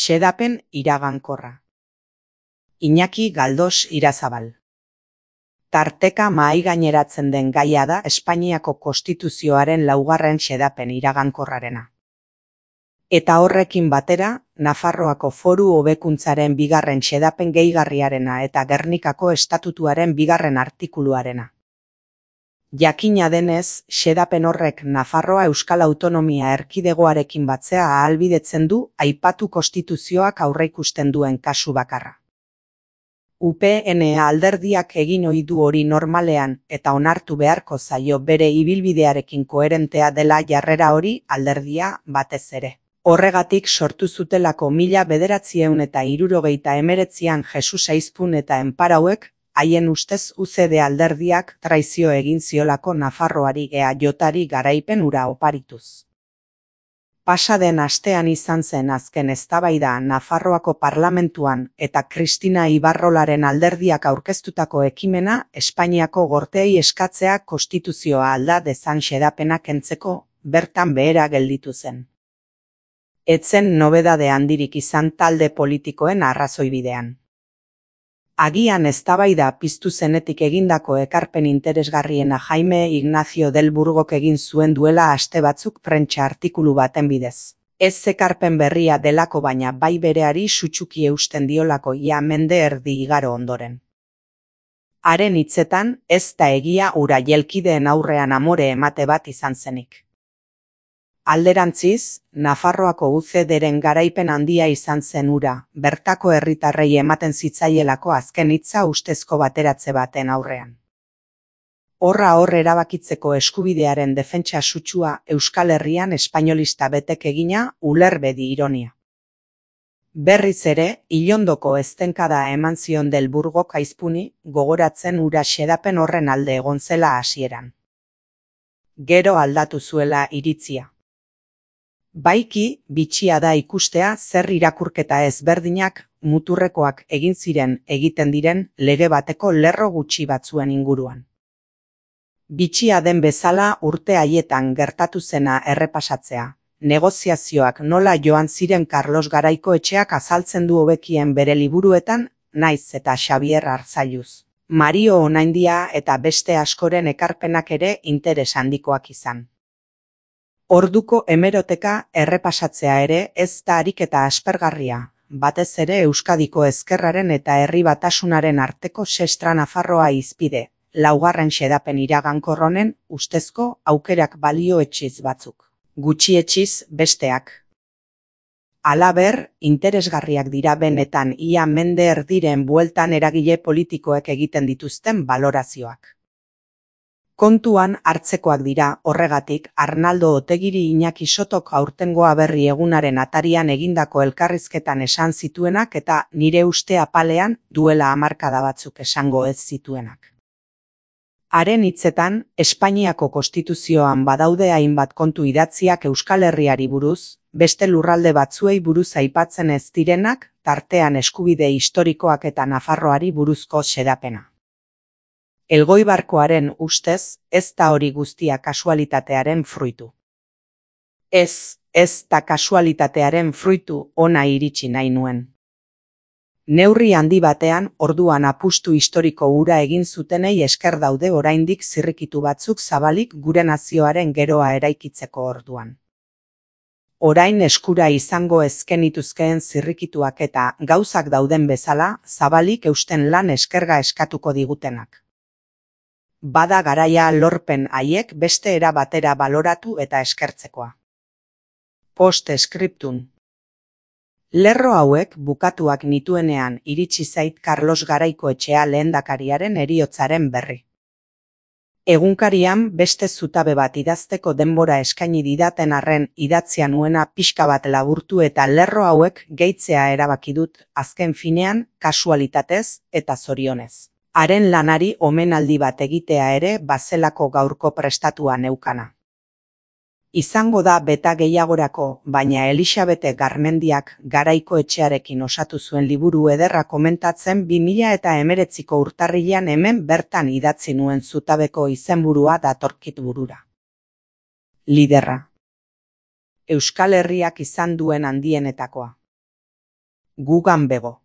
Xedapen iragankorra. Iñaki Galdos Irazabal. Tarteka mahaigaineratzen den gaia da Espainiako Konstituzioaren 4. xedapen iragankorrarena. Eta horrekin batera, Nafarroako Foru Hobekuntzaren 2. xedapen gehigarriarena eta Gernikako Estatutuaren 2. artikuluarena. Jakina denez, xedapen horrek Nafarroa Euskal Autonomia Erkidegoarekin batzea ahalbidetzen du aipatu konstituzioak aurreikusten duen kasu bakarra. UPN alderdiak egin ohi du hori normalean eta onartu beharko zaio bere ibilbidearekin koherentea dela jarrera hori alderdia batez ere. Horregatik sortu zutelako 1979an Jesus Aizpun eta Enparauek, haien ustez UCD alderdiak traizio egin ziolako Nafarroari EAJari garaipen hura oparituz. Pasaden astean izan zen azken eztabaida Nafarroako parlamentuan eta Kristina Ibarrolaren alderdiak aurkeztutako ekimena Espainiako Gorteei eskatzea konstituzioa alda dezan xedapena kentzeko, bertan behera gelditu zen. Etzen nobedade handirik izan talde politikoen arrazoibidean. Agian eztabaida piztu zenetik egindako ekarpen interesgarriena Jaime Ignacio del Burgok egin zuen duela aste batzuk prentsa artikulu baten bidez. Ez ekarpen berria delako baina bai bereari sutsuki eusten diolako ia mende erdi igaro ondoren. Haren hitzetan, ez da egia hura jelkideen aurrean amore emate bat izan zenik. Alderantziz, Nafarroako UCDren garaipen handia izan zen hura, bertako herritarrei ematen zitzaielako azken hitza ustezko bateratze baten aurrean. Horra hor erabakitzeko eskubidearen defentsa sutsua Euskal Herrian espainolista betek egina ulerbedi ironia. Berriz ere, ilondoko eztenkada eman zion del Burgok Aizpuni, gogoratzen hura xedapen horren alde egon zela hasieran. Gero aldatu zuela iritzia. Baiki, bitxia da ikustea zer irakurketa ezberdinak, muturrekoak egin ziren egiten diren lege bateko lerro gutxi batzuen inguruan. Bitxia den bezala urte haietan gertatu zena errepasatzea, negoziazioak nola joan ziren Carlos Garaikoetxeak azaltzen du hobekien bere liburuetan, naiz eta Xabier Arzailuz, Mario Onaindia eta beste askoren ekarpenak ere interes handikoak izan. Orduko hemeroteka errepasatzea ere ez da ariketa aspergarria, batez ere Euskadiko ezkerraren eta herri batasunaren arteko sestra Nafarroa izpide, 4. xedapen iragankor honen ustezko aukerak balioetsiz batzuk, gutxietsiz besteak. Halaber, interesgarriak dira benetan ia mende erdiren bueltan eragile politikoek egiten dituzten balorazioak. Kontuan hartzekoak dira horregatik Arnaldo Otegiri Iñaki Sotok aurtengo Aberri egunaren atarian egindako elkarrizketan esan zituenak eta nire uste apalean duela hamarkada batzuk esango ez zituenak. Haren hitzetan, Espainiako Konstituzioan badaude hainbat kontu idatziak Euskal Herriari buruz, beste lurralde batzuei buruz aipatzen ez direnak, tartean eskubide historikoak eta Nafarroari buruzko xedapena. Elgoibarkoaren ustez, ez da hori guztia kasualitatearen fruitu. Ez da kasualitatearen fruitu ona iritsi nahi nuen. Neurri handi batean, orduan apustu historiko hura egin zutenei esker daude oraindik zirrikitu batzuk zabalik gure nazioaren geroa eraikitzeko orduan. Orain eskura izango ezkenituzkeen zirrikituak eta gauzak dauden bezala, zabalik eusten lan eskerga eskatuko digutenak. Bada garaia lorpen haiek beste era batera baloratu eta eskertzekoa. Post-scriptum. Lerro hauek bukatuak nituenean iritsi zait Carlos Garaikoetxea lehendakariaren heriotzaren berri. Egunkarian beste zutabe bat idazteko denbora eskaini didaten arren idatzia nuena pixka bat laburtu eta lerro hauek gehitzea erabaki dut azken finean kasualitatez eta zorionez. Haren lanari omenaldi bat egitea ere bazelako gaurko prestatua neukana. Izango da beta gehiagorako, baina Elixabete Garmendiak Garaikoetxearekin osatu zuen liburu ederra komentatzen 2019ko urtarrilean hemen bertan idatzi nuen zutabeko izenburua datorkit burura. Liderra. Euskal Herriak izan duen handienetakoa. Gugan bego.